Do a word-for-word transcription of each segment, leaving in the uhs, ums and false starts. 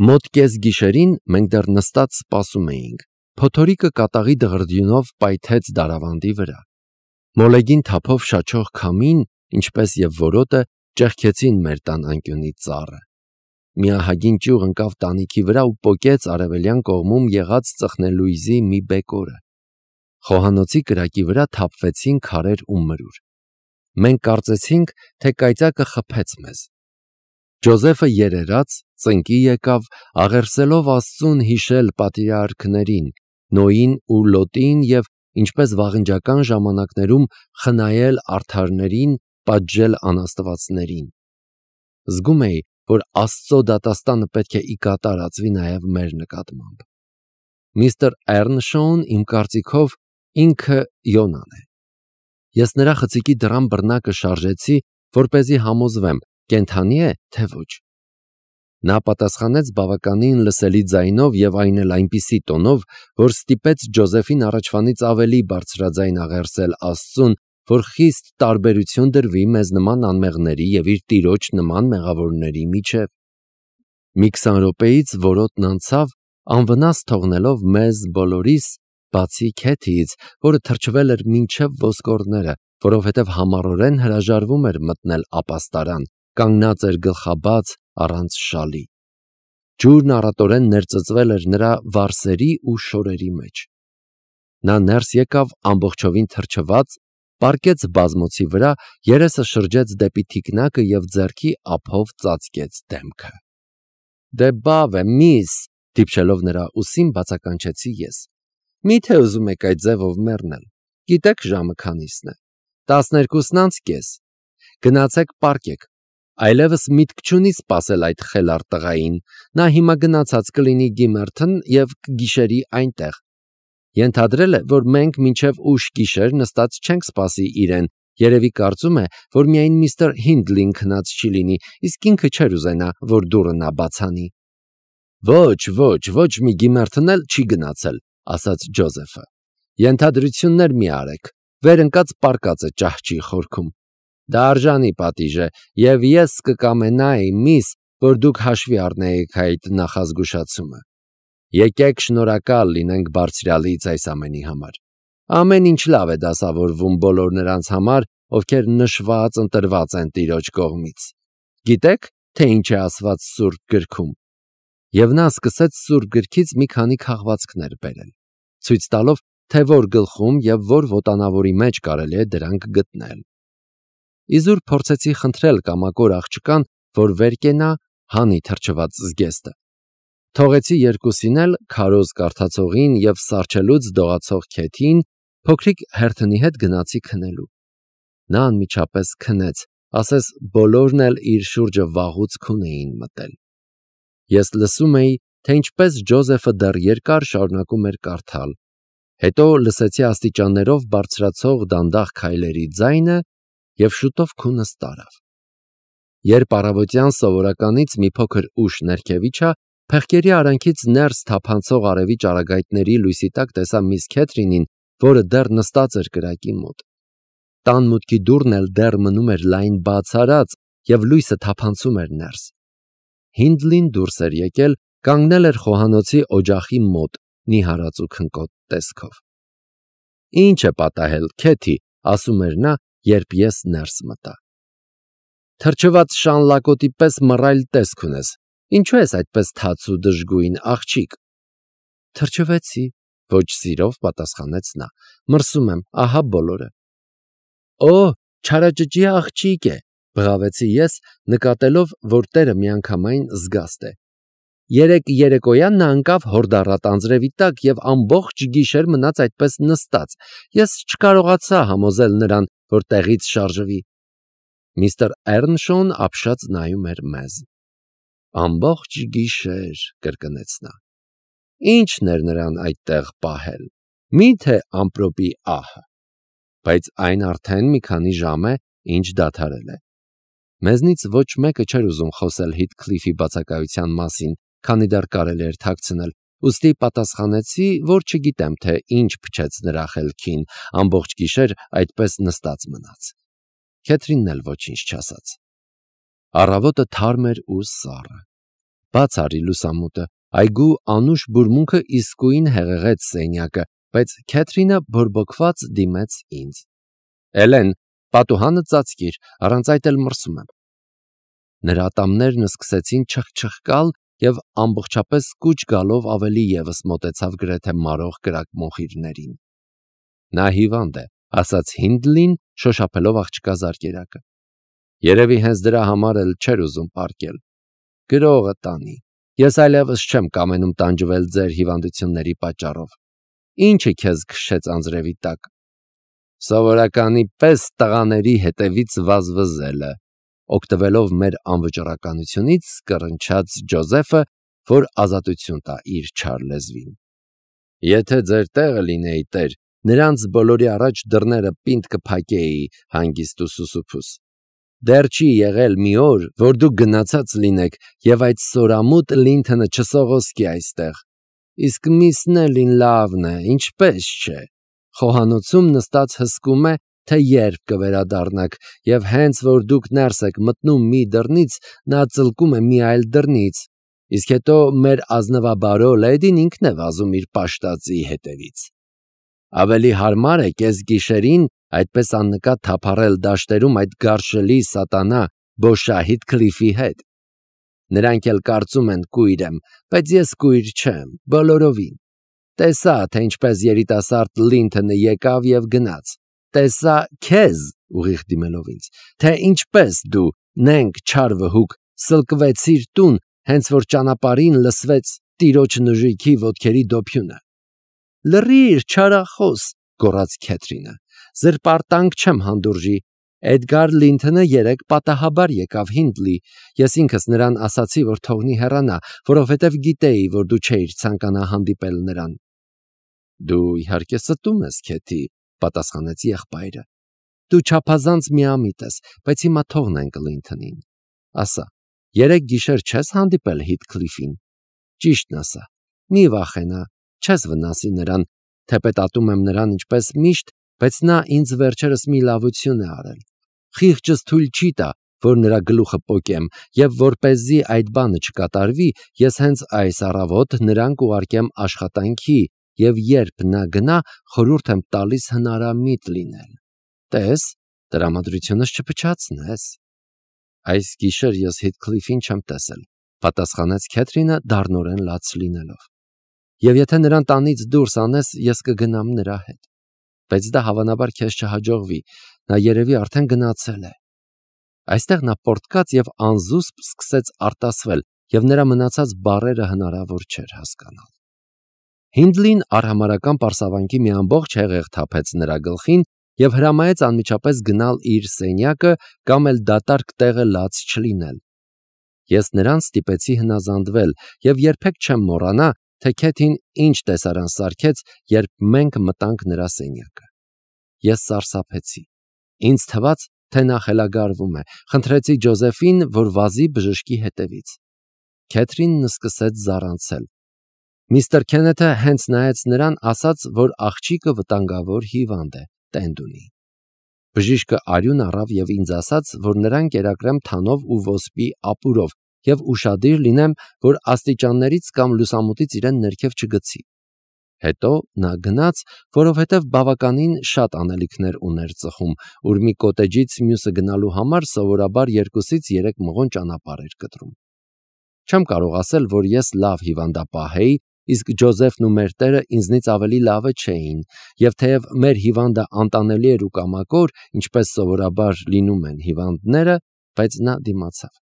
Մոտ կես գիշերին մենք դեռ նստած սպասում էինք։ Փոթորիկը կատաղի դղրդյունով պայթեց դարավանդի վրա։ Մոլեգին թափով շաչող քամին, ինչպես և որոտը, ճեղքեցին մեր տան անկյունի ծառը։ Մի ահագին ճյուղ ընկավ տանիքի վրա ու պոկեց արևելյան կողմում եղած ծխնելույզի մի բեկորը։ Խոհանոցի կրակի վրա թափվեցին քարեր ու մրուր։ Մենք կարծեցինք, թե կայծակը խփեց մեզ։ Ջոզեֆը երերաց, ծնկի եկավ, աղերսելով Աստծուն հիշել պատրիարքներին, Նոյին ու Լոտին և, ինչպես վաղնջական ժամանակներում, խնայել արդարներին, պատժել անաստվածներին։ Զգում էի, որ Աստծո դատաստանը պետք է ի կատար ածվի նաև մեր նկատմամբ։ Միստր Էռնշոուն, իմ կարծիքով, ինքը Յոնան է։ Ես նրա խցիկի դռան բռնակը շարժեցի, որպեսզի համոզվեմ, կենդանի է, թե ոչ։ Նա պատասխանեց բավականին լսելի ձայնով և այն էլ այնպիսի տոնով, որ ստիպեց Ջոզեֆին առաջվանից ավելի բարձրաձայն աղերսել Աստծուն, որ խիստ տարբերություն դրվի մեզ նման անմեղների և իր տիրոջ նման մեղավորների միջև։ Մի քսան րոպեից որոտն անցավ, անվնաս թողնելով մեզ բոլորիս, բացի Քեթիից, որը թրջվել էր մինչև ոսկորները, որովհետև համառորեն հրաժարվում էր մտնել ապաստարան, կանգնած էր գլխաբաց, առանց շալի։ Ջուրն առատորեն ներծծվել էր նրա վարսերի ու շորերի մեջ։ Նա ներս եկավ ամբողջովին թրջված, պառկեց բազմոցի վրա, երեսը շրջեց դեպի թիկնակը և ձեռքի ափով ծածկեց դեմքը։ «Դե բավ է, միս», դիպչելով նրա ուսին, բացականչեցի ես։ «Մի՞թե ուզում եք այդ ձևով մեռնել։ Գիտեք ժամը քանիսն է։ Տասներկուսն անց կես։ Գնացեք պառկեք։ Այլևս միտք չունի սպասել այդ խելառ տղային, նա հիմա գնացած կլինի Գիմերթն և կգիշերի այնտեղ։ Ենթադրել է, որ մենք մինչև ուշ գիշեր նստած չենք սպասի իրեն, երևի կարծում է, որ միայն միստր Հինդլին քնած չի լինի, իսկ ինքը չէր ուզենա, որ դուռը նա բացանի։ Ոչ, ոչ, ոչ մի Գիմերթն էլ չի գնացել, ասաց Ջոզեֆը։ Ենթադրություններ մի արեք, վեր ընկած պառկած է ճահճի խորքում։ Դա արժանի պատիժ է, և ես կկամենայի, միս, որ դուք հաշվի առնեիք այդ նախազգուշացումը։ Եկեք շնորհակալ լինենք Բարձրյալից այս ամենի համար։ Ամեն ինչ լավ է դասավորվում բոլոր նրանց համար, ովքեր նշված ընտրված են Տիրոջ կողմից։ Գիտեք, թե ինչ է ասված Սուրբ գրքում։ Եվ նա սկսեց Սուրբ գրքից մի քանի քաղվածքներ բերել, ցույց տալով, թե որ գլխում և որ ոտանավորի մեջ կարելի է դրանք գտնել։ Իզուր փորձեցի խնդրել կամակոր աղջկան, որ վեր կենա, հանի թրջված զգեստը։ Թողեցի երկուսին էլ, քարոզ կարդացողին և սառչելուց դողացող Քեթին, փոքրիկ Հերթնի հետ գնացի քնելու։ Նա անմիջապես քնեց, ասես բոլորն էլ իր շուրջը վաղուց քուն էին մտել։ Ես լսում էի, թե ինչպես Ջոզեֆը դեռ երկար շարունակում էր կարդալ, հետո լսեցի աստիճաններով բարձրացող դանդաղ քայլերի ձայնը և շուտով քունս տարավ։ Երբ առավոտյան սովորականից մի փոքր ուշ ներքև իջա, փեղկերի արանքից ներս թափանցող արևի ճառագայթների լույսի տակ տեսա միս Քեթրինին, որը դեռ նստած էր կրակի մոտ։ Տան մուտքի դուռն էլ դեռ մնում էր լայն բաց արած, և լույսը թափանցում էր ներս։ Հինդլին դուրս էր եկել, կանգնել էր խոհանոցի օջախի մոտ, նիհարած ու քնկոտ տեսքով։ Ինչ է պատահել, Քեթի, ասում էր նա, երբ ես ներս մտա։ Թրջված շան լակոտի պես մռայլ տեսք ունես, ինչու ես այդպես թաց ու դժգույն, աղջիկ։ Թրջվեցի, ոչ սիրով պատասխանեց նա, մրսում եմ, ահա բոլորը։ Օ, չարաճճի աղջիկ է, բղավեցի ես, նկատելով, որ տերը միանգամայն զգաստ է։ Երեկ երեկոյան նա ընկավ հորդառատ անձրևի տակ և ամբողջ գիշեր մնաց այդպես նստած, ես չկարողացա համոզել նրան, որ տեղից շարժվի։ Միստր Էռնշոուն ապշած նայում էր մեզ։ Ամբողջ գիշեր, կրկնեց նա։ Ի՞նչն էր նրան այդտեղ պահել։ Մի՞թե ամպրոպի ահը։ Բայց այն արդեն մի քանի ժամ է, ինչ դադարել է։ Մեզնից ոչ մեկը չէր ուզում խոսել Հիթքլիֆի բացակայության մասին, քանի դեռ կարելի էր թաքցնել, ուստի պատասխանեցի, որ չգիտեմ, թե ինչ փչեց նրա խելքին, ամբողջ գիշեր այդպես նստած մնաց։ Քեթրինն էլ ոչինչ չասաց։ Առավոտը թարմ էր ու սառը։ Բաց արի լուսամուտը, այգու անուշ բուրմունքը իսկույն հեղեղեց սենյակը, բայց Քեթրինը բորբոքված դիմեց ինձ. Էլեն, պատուհանը ծածկիր, առանց այդ էլ մրսում եմ։ Նրա ատամներն սկսեցին չխչխկալ և ամբողջապես կուչ գալով ավելի ևս մոտեցավ գրեթե մարող կրակմոխիրներին։ Նա հիվանդ է, ասաց Հինդլին, շոշափելով աղջկա զարկերակը։ Երևի հենց դրա համար էլ չէր ուզում պառկել։ Գրողը տանի։ Ես այլևս չեմ կամենում տանջվել ձեր հիվանդությունների պատճառով։ Ինչը քեզ քշեց անձրևի տակ։ Սովորականի պես տղաների հետևից վազվզելը, օգտվելով մեր անվճռականությունից կռնչաց Ջոզեֆը, որ ազատություն տա իր չար լեզվին։ Եթե ձեր տեղը լինեի, տեր, նրանց բոլորի առաջ դռները պինդ կփակեի հանգիստ ու սուսուփուս։ Դեռ չի եղել մի օր, որ դուք գնացած լինեք և այդ սորամուտ Լինթոնը չսողոսկի այստեղ։ Իսկ միս Նելին լավն է, ինչպես չէ։ Խոհանոցում նստած հսկում է, թե երբ կվերադառնաք, և հենց որ դուք ներս եք մտնում մի դռնից, նա ծլկում է մի այլ դռնից, իսկ հետո մեր ազնվաբարո լեդին ինքն է վազում իր պաշտածի հետևից։ Ավելի հարմար է կեսգիշերին այդպես աննկատ թափառել դաշտերում այդ գարշելի սատանա Բոշահիթ Քլիֆի հետ։ Նրանք էլ կարծում են կույր եմ, բայց ես կույր չեմ, բոլորովին։ Տեսա, թե ինչպես երիտասարդ Լինթոնը եկավ և գնաց։ Տեսա քեզ, ուղիղ դիմելով ինձ, թե ինչպես դու, նենգ չար վհուկ, սլկվեցիր տուն, հենց որ ճանապարհին լսվեց տիրոջ նժույգի ոտքերի դոփյունը։ Լռիր, չարախոս, գոռաց Քեթրինը, զրպարտանք չեմ հանդուրժի։ Էդգար Լինթոնը երեկ պատահաբար եկավ Հինդլի, ես ինքս նրան ասացի, որ թողնի հեռանա, որովհետև գիտեի, որ դու չէիր ցանկանա հանդիպել նրան։ Դու իհարկե ստում ես, Քեթի, պատասխանեց եղբայրը։ Դու չափազանց միամիտ ես, բայց հիմա թողնենք Լինթոնին։ Ասա, երեկ գիշեր չես հանդիպել Հիթքլիֆին։ Ճիշտն ասա, մի վախենա, չես վնասի նրան, թեպետ ատում եմ նրան ինչպես միշտ, բայց նա ինձ վերջերս մի լավություն է արել։ Խիղճս թույլ չի տա, որ նրա գլուխը պոկեմ, և որպեսզի այդ բանը չկատարվի, ես հենց այս առավոտ նրան կուղարկեմ աշխատանքի, և երբ նա գնա, խորհուրդ եմ տալիս հնարամիտ լինել։ Տես, տրամադրությունս չփչացնես։ Այս գիշեր ես Հիթքլիֆին չեմ տեսել, պատասխանեց Քեթրինը դառնորեն լաց լինելով։ Եվ եթե նրան տանից դուրս անես, ես կգնամ նրա հետ։ Բայց դա հավանաբար քեզ չհաջողվի, նա երևի արդեն գնացել է։ Այստեղ նա պոռթկաց և անզուսպ սկսեց արտասվել, և նրա մնացած բառերը հնարավոր չէր հասկանալ։ Հինդլին արհամարհական պարսավանքի մի ամբողջ հեղեղ թափեց նրա գլխին և հրամայեց անմիջապես գնալ իր սենյակը կամ էլ դատարկ տեղը լաց չլինել։ Ես նրան ստիպեցի հնազանդվել և երբեք չեմ մոռանա, թե Քեթին ինչ տեսարան սարքեց, երբ մենք մտանք նրա սենյակը։ Ես սարսափեցի։ Ինձ թվաց, թե նա խելագարվում է, խնդրեցի Ջոզեֆին, որ վազի բժշկի հետևից։ Քեթրինն սկսեց զառանցել։ Միստր Քենեթը հենց նայեց նրան, ասաց, որ աղջիկը վտանգավոր հիվանդ է, տենդ ունի։ Բժիշկը արյուն առավ և ինձ ասաց, որ նրան կերակրեմ թանով ու ոսպի ապուրով և ուշադիր լինեմ, որ աստիճաններից կամ լուսամուտից իրեն ներքև չգցի։ Հետո նա գնաց, որովհետև բավականին շատ անելիքներ ուներ ծխում, ուր մի կոտեջից մյուսը գնալու համար սովորաբար երկուսից երեք մղոն ճանապարհ էր կտրում։ Չեմ կարող ասել, որ ես լավ հիվանդապահ էի, իսկ Ջոզեֆն ու մեր տերը ինձնից ավելի լավը չէին, և թեև մեր հիվանդը անտանելի էր ու կամակոր, ինչպես սովորաբար լինում են հիվանդները, բայց նա դիմացավ։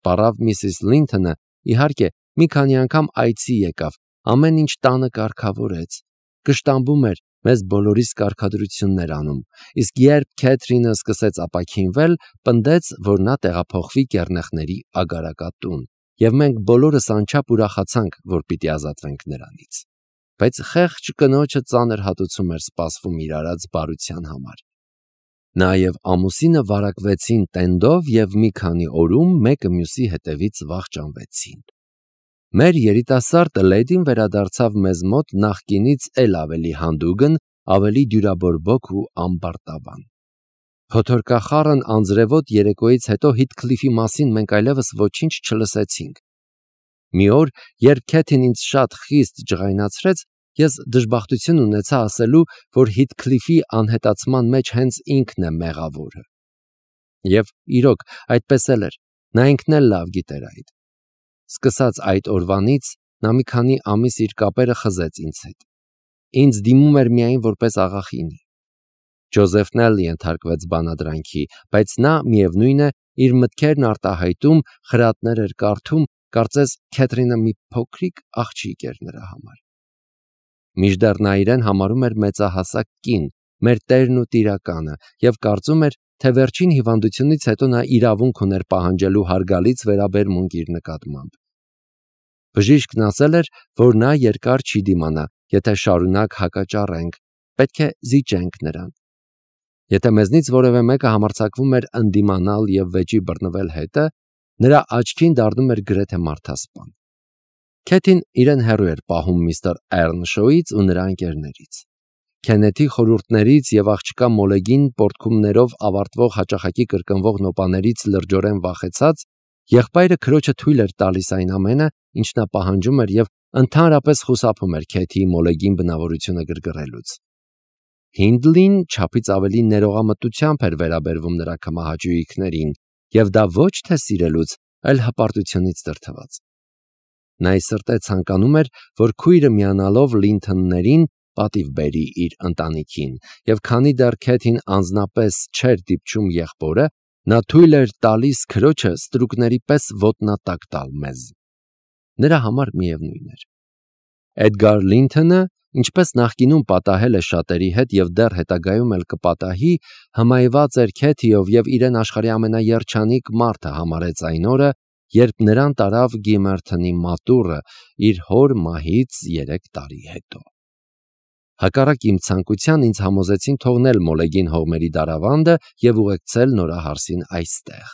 Պարավ միսիս Լինթոնը, իհարկե, մի քանի անգամ այցի եկավ, ամեն ինչ տանը կարգավորեց, կշտամբում էր, մեզ բոլորիս կարգադրություններ անում, իսկ երբ Քեթրինը սկսեց ապաքինվել, պնդեց, որ նա տեղափոխվի կեռնեխների ագարակատուն, և մենք բոլորս անչափ ուրախացանք, որ պիտի ազատվենք նրանից։ Բայց խեղճ կնոջը ծանր հատուցում էր սպասվում իր արած բարության համար։ Նա և ամուսինը վարակվեցին տենդով և մի քանի օրում մեկը մյուսի հետևից վախճանվեցին։ Մեր երիտասարդ լեդին վերադարձավ մեզ մոտ նախկինից էլ ավելի հանդուգն, ավելի դյուրաբորբոք ու ամբարտավան։ Փոթորկախառն անձրևոտ երեկոյից հետո Հիթքլիֆի մասին մենք այլևս ոչինչ չլսեցինք։ Մի օր, երբ Քեթին ինձ շատ խիստ ջղայնացրեց, ես դժբախտություն ունեցա ասելու, որ Հիթքլիֆի անհետացման մեջ հենց ինքն է մեղավորը։ Եվ իրոք, այդպես էլ էր, նա ինքն էլ լավ գիտեր այդ։ Սկսած այդ օրվանից նա մի քանի ամիս իր կապերը խզեց ինձ հետ։ Ինձ դիմում էր միայն որպես աղախինի։ Ջոզեֆն էլ ենթարկվեց բանադրանքի, բայց նա, միևնույն է, իր մտքերն արտահայտում, խրատներ էր կարդում, կարծես Քեթրինը մի փոքրիկ աղջիկ էր նրա համար։ Մինչդեռ նա իրեն համարում էր մեծահասակ կին, մեր տերն ու տիրականը, և կարծում էր, թե վերջին հիվանդությունից հետո նա իրավունք ուներ պահանջելու հարգալից վերաբերմունք իր նկատմամբ։ Բժիշկն ասել էր, որ նա երկար չի դիմանա, եթե շարունակ հակաճառենք, պետք է զիջենք նրան։ Եթե մեզնից որևէ մեկը համարձակվում էր ընդդիմանալ և վեճի բռնվել հետը, նրա աչքին դառնում էր գրեթե մարդասպան։ Քեթին իրեն հեռու էր պահում միստր Էռնշոուից ու նրա ընկերներից։ Քեննեթի խորհուրդներից և աղջկա Մոլեգին պոռթկումներով ավարտվող հաճախակի կրկնվող նոպաներից լրջորեն վախեցած, եղբայրը քրոջը թույլ էր տալիս այն ամենը, ինչ նա պահանջում էր, և ընդհանրապես խուսափում էր Քեթիի Մոլեգին բնավորությունը գրգռելուց։ Հինդլին չափից ավելի ներողամտությամբ էր վերաբերվում նրա քմահաճույքներին, և դա ոչ թե սիրելուց, այլ հպարտությունից դրդված։ Նա ի սրտե ցանկանում էր, որ քույրը միանալով Լինթոններին պատիվ բերի իր ընտանիքին, և քանի դեռ Քեթին անձնապես չէր դիպչում եղբորը, նա թույլ էր տալիս քրոջը ստրուկների պես ոտնատակ տալ մեզ։ Նրա համար միևնույն էր։ Էդգար Լինթոնը, ինչպես նախկինում պատահել է շատերի հետ և դեռ հետագայում էլ կպատահի, հմայված էր Քեթիով և իրեն աշխարհի ամենաերջանիկ մարդը համարեց այն օրը, երբ նրան տարավ Գիմերթոնի մատուռը իր հոր մահից երեք տարի հետո։ Հակառակ իմ ցանկության ինձ համոզեցին թողնել Մոլեգին հողմերի դարավանդը և ուղեկցել նորահարսին այստեղ։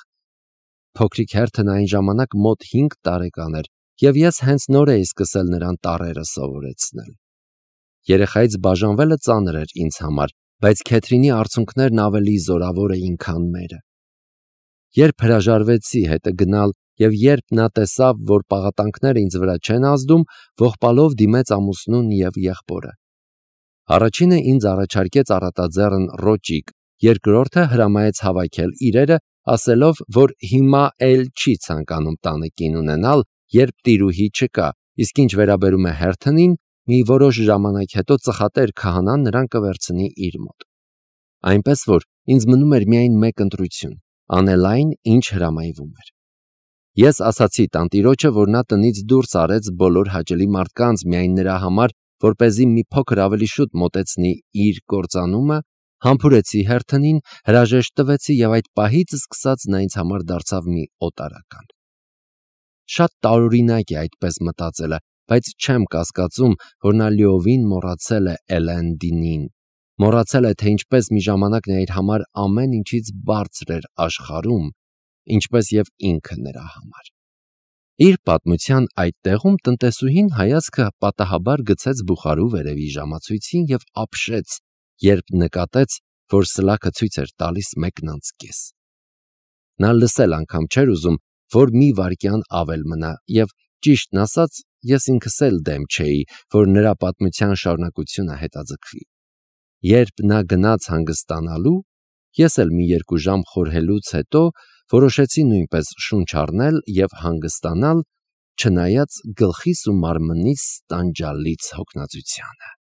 Փոքրիկ հերթն այն ժամանակ մոտ հինգ տարեկան էր, և ես հենց նոր էի սկսել նրան տառերը սովորեցնել։ Երեխայից բաժանվելը ծանր էր ինձ համար, բայց Քեթրինի արցունքներն ավելի զորավոր էին, քան մերը։ Երբ հրաժարվեցի հետը գնալ և երբ նա տեսավ, որ պաղատանքները ինձ վրա չեն ազդում, ողբալով դիմեց ամուսնուն և եղբորը։ Առաջինը ինձ առաջարկեց առատաձեռն ռոճիկ, երկրորդը հրամայեց հավաքել իրերը, ասելով, որ հիմա էլ չի ցանկանում տանը կին ունենալ, երբ տիրուհի չկա, իսկ ինչ վերաբերում է հերթնին, մի որոշ ժամանակ հետո ծխատեր քահանան նրան կվերցնի իր մոտ։ Այնպես որ ինձ մնում էր միայն մեկ ընտրություն՝ անել այն, ինչ հրամայվում էր։ Ես ասացի տանտիրոջը, որ նա տնից դուրս արեց բոլոր հաճելի մարդկանց միայն նրա համար, որպեսզի մի փոքր ավելի շուտ մոտեցնի իր կործանումը, համբուրեցի հերթնին, հրաժեշտ տվեցի և այդ պահից սկսած նա ինձ համար դարձավ մի օտարական։ Շատ տարօրինակ է այդպես մտածելը, բայց չեմ կասկածում, որ նա լիովին մոռացել է Էլենդինին, մոռացել է, թե ինչպես մի ժամանակ նա իր համար ամեն ինչից բարձր էր աշխարհում, ինչպես և ինքը նրա համար։ Իր պատմության այդ տեղում տնտեսուհին հայացքը պատահաբար գցեց բուխարու վերևի ժամացույցին և ապշեց, երբ նկատեց, որ սլաքը ցույց էր տալիս մեկն անց կես։ Նա լսել անգամ չէր ուզում, որ մի վայրկյան ավել մնա, և ճիշտն ասած, ես ինքս էլ դեմ չէի, որ նրա պատմության շարունակությունը հետաձգվի։ Երբ նա գնաց հանգստանալու, ես էլ մի երկու ժամ խորհելուց հետո որոշեցի նույնպես շունչ առնել և հանգստանալ, չնայած գլխիս ու մարմնիս տանջալից հոգնածությանը։